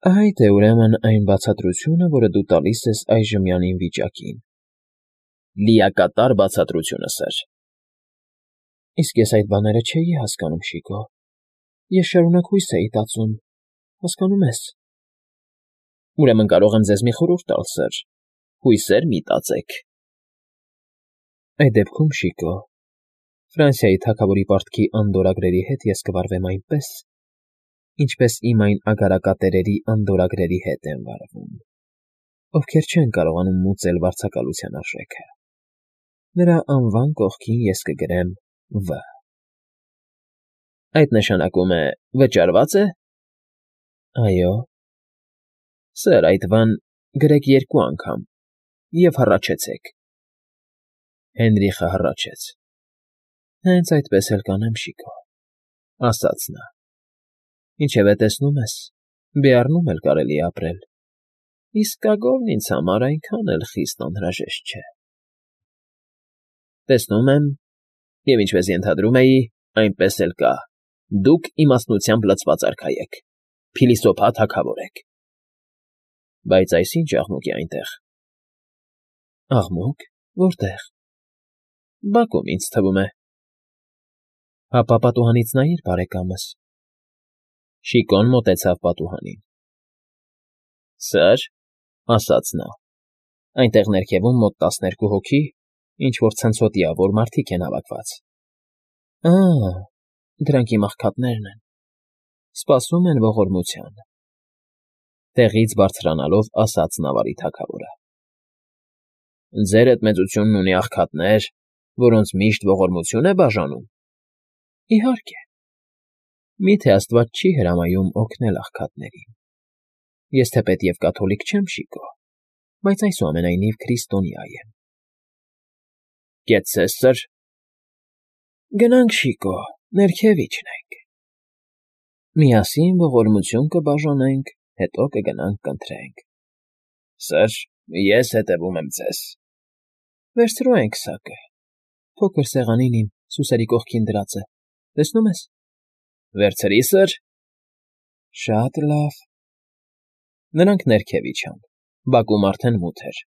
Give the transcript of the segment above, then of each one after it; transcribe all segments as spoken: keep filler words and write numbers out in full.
Այդ է, ուրեմն, այն բացատրությունը, որը դու տալիս ես այժմյան իմ վիճակին։ Լիակատար բացատրությունը, սըր։ Իսկ ես այդ բաները չէի հասկանում, Շիկո, ես շարունակ հույս էի տածում, հասկանո՞ւմ ես։ Ուրեմն կարող եմ ձեզ մի խորհուրդ տալ, սըր, հույսեր մի տածեք։ Այդ դեպքում, Շիկո, Ֆրանսիայի թագավորի պարտքի անդորրագրերի հետ ես կվարվեմ այնպես, ինչպես իմ այն ագարակատերերի անդորրագրերի հետ եմ վարվում, ովքեր չեն կարողանում մուծել վարձակալության արժեքը։ Նրա անվան կողքին ես կգրեմ V։ Այդ նշանակում է վճարվա՞ծ է։ Այո։ Սըր, այդ V-ն գրեք երկու անգամ և հառաչեցեք։ Հենրիխը հառաչեց։ Հենց այդպես էլ կանեմ, Շիկո, ասաց նա։ Ինչևէ, տեսնում ես, Բեառնում էլ կարելի է ապրել, իսկագործ ինձ համար այնքան էլ խիստ անհրաժեշտ չէ։ Տեսնում եմ, և ինչպես ենթադրում էի, այնպես էլ կա, դուք իմաստնությամբ լցված արքա եք, փիլիսոփա թագավոր եք։ Բայց այս ի՞նչ աղմուկ է այնտեղ։ Աղմուկ, որտե՞ղ։ Բակում, ինձ թվում է։ Հապա պատուհանից նայիր, բարեկամս։ Շիկոն մոտեցավ պատուհանին։ Սըր, ասաց նա, այնտեղ ներքևում մոտ տասներկու հոգի, ինչ֊որ ցնցոտիավոր մարդիկ են հավաքված։ Ա՜, դրանք իմ աղքատներն են, սպասում են ողորմության։ Տեղից բարձրանալով ասաց նավարի թագավորը։ Ձերդ մեծությունն ունի աղքատներ, որոնց միշտ ողորմություն է բաժանում։ Իհարկե։ Մի՞թե աստված չի հրամայում օգնել աղքատներին։ Ես թեպետ և կաթոլիկ չեմ, Շիկո, բայց այսուամենայնիվ քրիստոնյա եմ։ Կեցցե՞ս, սըր։ Գնանք, Շիկո, ներքև իջնենք։ Միասին ողորմություն կբաժանենք, հետո կգնանք կընթրենք։ Սըր, ես հետևում եմ ձեզ։ Վերցրու այն քսակը, փոքր սեղանին իմ սուսերի կողքին դրած է, տեսնում ես։ Վերցրի, սըր։ Շատ լավ։ Նրանք ներքև իջան, բակում արդեն մութ էր։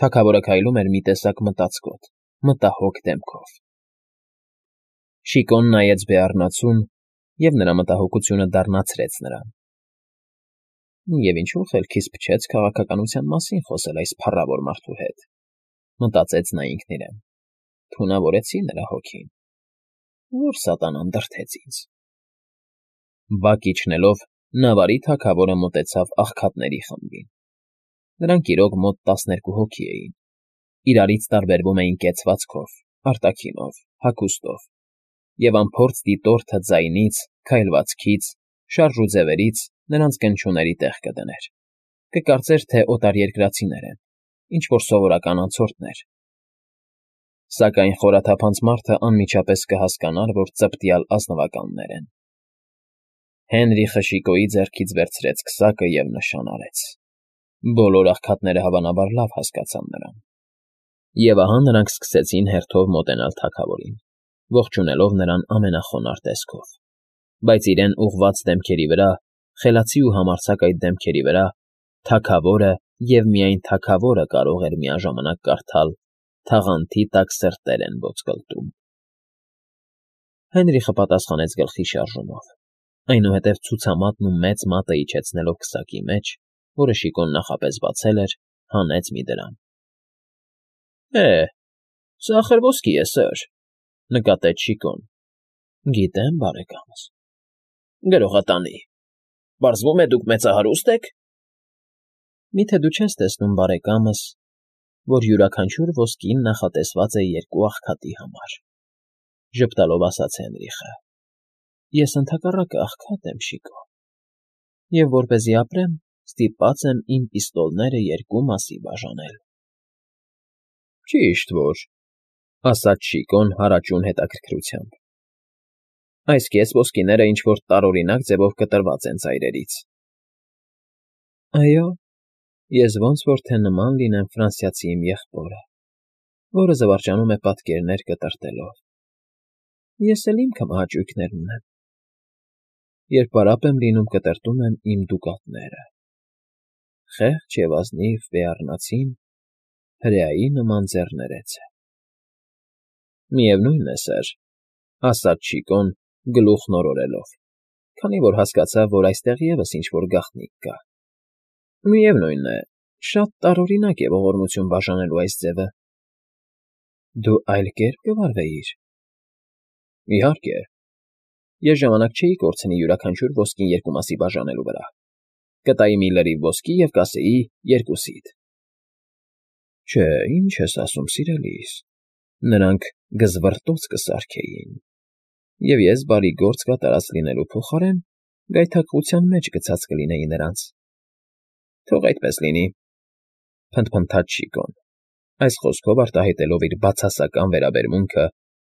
Թագավորը քայլում էր մի տեսակ մտածկոտ, մտահոգ դեմքով։ Շիկոն նայեց Բեառնացուն, և նրա մտահոգությունը դառնացրեց նրան։ Եվ ինչու խելքիս փչեց քաղաքականության մասին խոսել այս փառավոր մարդու հետ, մտածեց նա ինքն իրեն, թունավորեցի նրա հոգին, որ սատանան դրդեց ինձ։ Բակ իջնելով, նավարի թագավորը մոտեցավ աղքատների խմբին։ Նրանք իրոք մոտ տասներկու հոգի էին, իրարից տարբերվում էին կեցվածքով, արտաքինով, հագուստով, և անփորձ դիտորդը ձայնից, քայլվածքից, շարժուձևերից նրանց կնչուների տեղ կդներ, կկարծեր, թե օտարերկրացիներ են, ինչ֊որ սովորական անցորդներ։ Սակայն խորաթափանց մարդը անմիջապես կհասկանար, որ ծպտյալ ազնվականներ են։ Հենրիխը Շիկոյի ձեռքից վերցրեց քսակը և նշան արեց։ Բոլոր աղքատները հավանաբար լավ հասկացան նրան։ Եվ ահա նրանք սկսեցին հերթով մոտենալ թագավորին, ողջունելով նրան ամենախոնարհ տեսքով, բայց իրեն ուղղված դեմքերի վրա, խելացի ու համարձակ այդ դեմքերի վրա, թագավորը և միայն թագավորը կարող էր միաժամանակ կարդալ «Թաղանթի տակ սրտեր են ոսկլտում»։ Հենրիխը պատասխանեց գլխի շարժումով, այնուհետև ցուցամատն ու մեծ մատը իջեցնելով քսակի մեջ, որը Շիկոն նախապես բացել էր, հանեց մի դրամ։ Է, սա ախր ոսկի է, սըր, նկատեց Շիկոն։ Գիտեմ, բարեկամս։ Գրողատանի։ Պարզվում է, դուք մեծահարուստ եք։ Մի՞թե դու չես տեսնում, բարեկամս, որ յուրաքանչյուր ոսկին նախատեսված է երկու աղքատի համար, ժպտալով ասաց Հենրիխը։ Ես ընդհակառակը աղքատ եմ, Շիկո, և որպեսզի ապրեմ, ստիպված եմ իմ պիստոլները երկու մասի բաժանել։ Ճիշտ որ, ասաց Շիկոն հարաճուն հետաքրքրությամբ։ Այս կես ոսկիները ինչ֊որ տարօրինակ ձևով կտրված են ծայրերից։ Այո, ես ոնց որ թե նման լինեմ ֆրանսիացի իմ եղբորը, որը զվարճանում է պատկերներ կտրտելով։ Ես էլ ինքն հաճույքներ ունեմ։ Երբ պարապ եմ լինում, կտրտում եմ իմ դուկատները։ խեղճ և ազնիվ բեառնացին, հրեայի նման ձեռներեցը։ Միևնույն է, սըր, ասաց Շիկոն, գլուխն օրորելով, քանի որ հասկացավ, որ այստեղ ևս ինչ֊որ գաղտնիք կա։ Միևնույն է, շատ տարօրինակ է ողորմություն բաժանելու այս ձևը։ Դու այլ կերպ կվարվեիր։ Իհարկե, ես ժամանակ չէի կորցնի յուրաքանչյուր ոսկին երկու մասի բաժանելու վրա։ Կտայի մի լրիվ ոսկի և կասեի երկուսիդ։ Չէ, ինչ ես ասում, սիրելիս, նրանք գզվռտոց կսարքեին, և ես բարի գործ կատարած լինելու փոխարեն գայթակղության մեջ գցած կլինեի նրանց։ Թող այդպես լինի, փնթփնթաց Շիկոն, այս խոսքով արտահայտելով իր բացասական վերաբերմունքը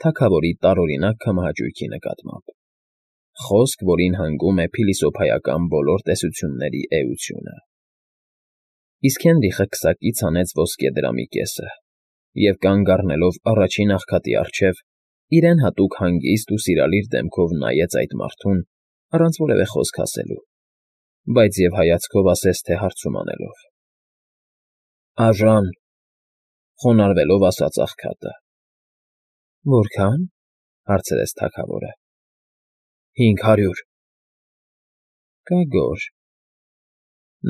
թագավորի տարօրինակ քամահաճույքի նկատմամբ, խոսք, որին հանգում է փիլիսոփայական բոլոր տեսությունների էությունը։ Իսկ Հենրիխը քսակից հանեց ոսկեդրամի կեսը և, կանգ առնելով առաջին աղքատի առջև, իրեն հատուկ հանգիստ ու սիրալիր դեմքով նայեց այդ մարդուն, առանց որևէ խոսք ասելու, բայց և հայացքով ասես թե հարցում անելով. Աժան,֊ խոնարհվելով ասաց աղքատը։ Որքա՞ն,֊ հարցրեց թագավորը։ Հինգ հարյուր։ Կագոր։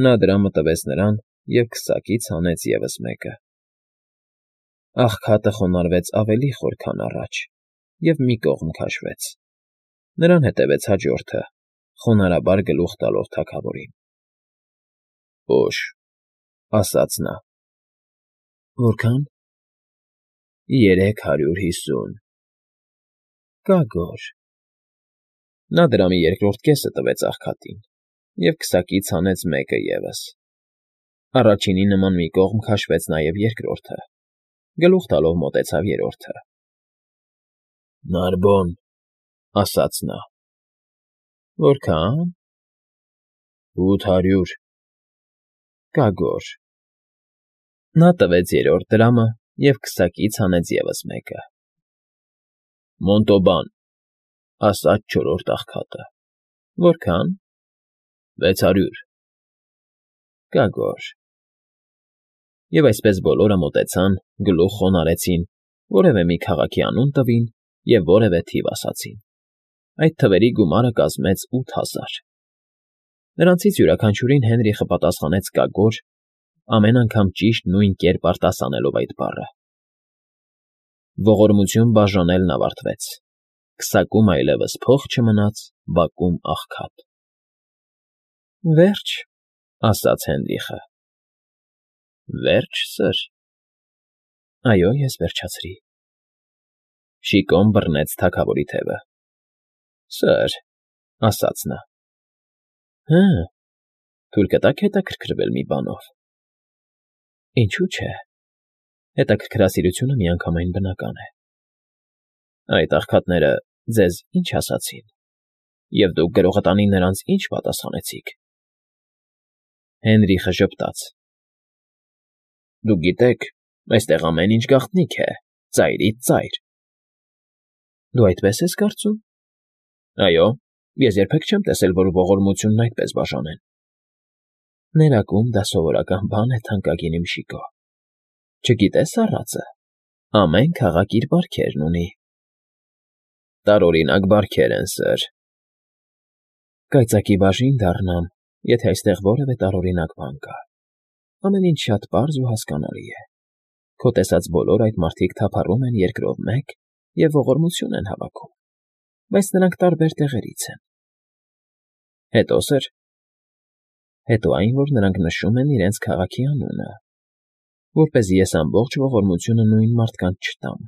Նա դրամը տվեց նրան և քսակից հանեց ևս մեկը։ Աղքատը խոնարհվեց ավելի խոր, քան առաջ, և մի կողմ քաշվեց։ Նրան հետևեց հաջորդը, խոնարհաբար գլուխ տալով թագավորին։ Օժ,֊ ասաց նա։ Որքա՞ն։ Երեք հարյուր հիսուն։ Կագոր։ Նա դրամի երկրորդ կեսը տվեց աղքատին և քսակից հանեց մեկը ևս։ Առաջինի նման մի կողմ քաշվեց նաև երկրորդը, գլուխ տալով մոտեցավ երրորդը։ Նարբոն,֊ ասաց նա։ Որքա՞ն։ Ութ հարյուր։ Կագոր։ Նա տվեց երրորդ դրամը և քսակից հանեց ևս մեկը։ Մոնտոբան,֊ ասաց չորրորդ աղքատը։ Որքա՞ն։ Վեց հարյուր։ Կագոր։ Եվ այսպես բոլորը մոտեցան, գլուխ խոնարհեցին, որևէ մի քաղաքի անուն տվին և որևէ թիվ ասացին։ Այդ թվերի գումարը կազմեց ութ հազար։ Նրանցից յուրաքանչյուրին Հենրիխը պատասխանեց կագոր, ամեն անգամ ճիշտ նույն կերպ արտասանելով այդ բառը։ Ողորմություն բաժանելն ավարտվեց, քսակում այլևս փող չմնաց, բակում աղքատ։ Վերջ,֊ ասաց Հենրիխը։ Վերջ, սըր։ Այո, ես վերջացրի։ Շիկոն բռնեց թագավորի թևը։ Սըր,֊ ասաց նա։ Հը, թույլ կտա՞ք հետաքրքրվել մի բանով։ Ինչու՞ չէ։ Հետաքրքրասիրությունը միանգամայն բնական է։ Այդ աղքատները ձեզ ինչ ասացին, և դուք գրողտանի նրանց ինչ պատասխանեցիք։ Հենրիխը ժպտաց։ Դուք գիտեք, այստեղ ամեն ինչ գաղտնիք է, ծայրից ծայր։ Դու այդպես ես կարծում։ Այո, ես երբեք չեմ տեսել, որ ողորմությունն այդպես բաժանեն։ Ներակում դա սովորական բան է, թանկագին իմ Շիկո։ Չգիտես առածը, ամեն քաղաք իր բարքերն ունի։ Տարօրինակ բարքեր են, սըր։ Կայծակի բաժին դառնամ, եթե այստեղ որևէ տարօրինակ բան կա։ Ամեն ինչ շատ պարզ ու հասկանալի է։ Քո տեսած բոլոր այդ մարդիկ թափառում են երկրով մեկ և ողորմություն են հավաքում, բայց նրանք տարբեր տեղերից են։ Հետո՞, սըր։ Հետո այն, որ նրանք նշում են իրենց քաղաքի անունը, որպեսզի ես ամբողջ ողորմությունը նույն մարդկանց չտամ։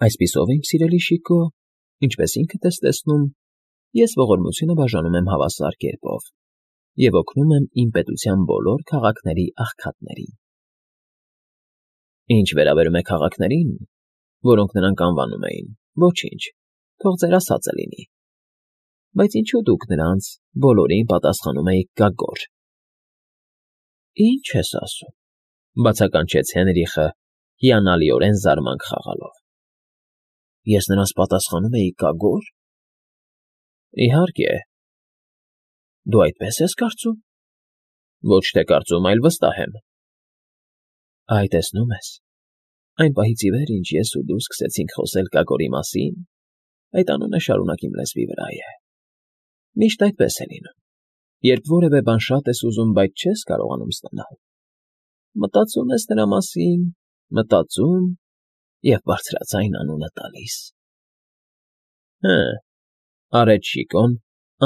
Այսպիսով, իմ սիրելի Շիկո, ինչպես ինքդ ես տեսնում, ես ողորմությունը բաժանում եմ հավասար կերպով և օգնում եմ իմ պետության բոլոր քաղաքների աղքատներին։ Ինչ վերաբերում է քաղաքներին, որոնք նրանք անվանում էին, ոչինչ, թող ձեր ասածը լինի։ Բայց ինչու դուք նրանց բոլորին պատասխանում էիք կագոր։ Ինչ ես ասում,֊ բացականչեց Հենրիխը, հիանալիորեն զարմանք խաղալով։ Ես նրանց պատասխանում էի կագո՞ր։ Իհարկե։ Դու այդպես ես կարծում։ Ոչ թե կարծում, այլ վստահ եմ։ Այ տեսնում ես, այն պահից ի վեր, ինչ ես ու դու սկսեցինք խոսել Կակորի մասին, այդ անունը շարունակ իմ լեզվի վրա է։ Միշտ այդպես է լինում, երբ որևէ բան շատ ես ուզում, բայց չես կարողանում ստանալ։ Մտածում ես նրա մասին, մտածում և բարձրաձայն անունը տալիս։ Հը, արեց Շիկոն,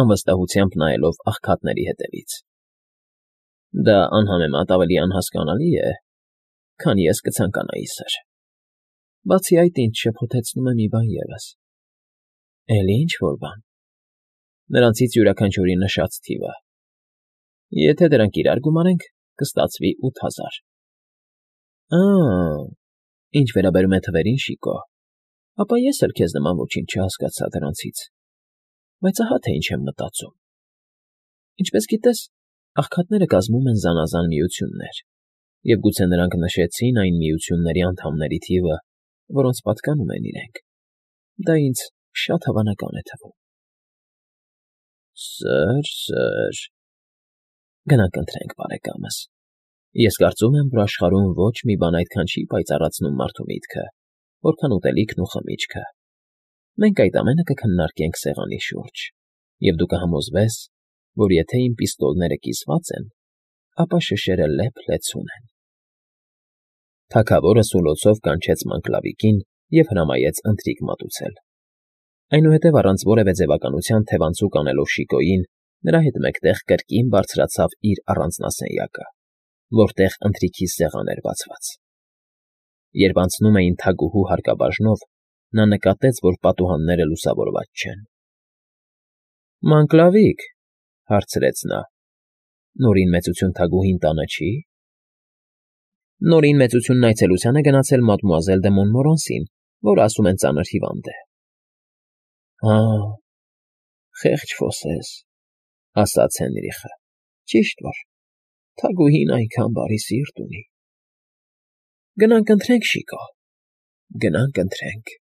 անվստահությամբ նայելով աղքատների հետևից։ Դա անհամեմատ ավելի անհասկանալի է, քան ես կցանկանայի, սըր։ Բացի այդ, ինձ շփոթեցնում է մի բան ևս։ Էլի ինչ֊որ բան։ Նրանցից յուրաքանչյուրի նշած թիվը։ Եթե դրանք իրար գումարենք, կստացվի ութ հազար։ Ա՜, ինչ վերաբերում է թվերին, Շիկո, ապա ես էլ քեզ նման ոչինչ չհասկացա դրանցից, բայց ահա թե ինչ եմ մտածում։ Ինչպես գիտես, աղքատները կազմում են զանազան միություններ, և գուցե նրանք նշեցին այն միությունների անդամների թիվը, որոնց պատկանում են իրենք։ Դա ինձ շատ հավանական է թվում։ Սըր, սըր… Գնանք ընթրենք, բարեկամս։ Ես կարծում եմ, որ աշխարհում ոչ մի բան այդքան չի պայծառացնում մարդու միտքը, որքան ուտելիքն ու խմիչքը։ Մենք այդ ամենը կքննարկենք սեղանի շուրջ, և դու կհամոզվես, որ եթե իմ պիստոլները կիսված են, ապա շշերը լեփ֊լեցուն են։ Թագավորը սուլոցով կանչեց Մանգլավիկին և հրամայեց ընթրիք մատուցել։ Այնուհետև առանց որևէ ձևականության թևանցուկ անելով Շիկոյին, նրա հետ մեկտեղ կրկին բարձրացավ իր առանձնասենյակը, որտեղ ընթրիքի սեղան էր բացված։ Երբ անցնում էին թագուհու հարկաբաժնով, նա նկատեց, որ պատուհանները լուսավորված չեն։ Մանգլավիկ, հարցրեց նա, նորին մեծություն թագուհին տանը չի։ Նորին մեծությունն այցելության է գնացել մադմուազել դը Մոնմորանսին, որ ասում են ծանր հիվանդ է։ Հա, խեղճ Ֆոսես, ասաց Հենրիխը, ճիշտ որ թագուհին այնքան բարի սիրտ ունի։ Գնանք ընթրենք, Շիկո, գնանք ընթրենք։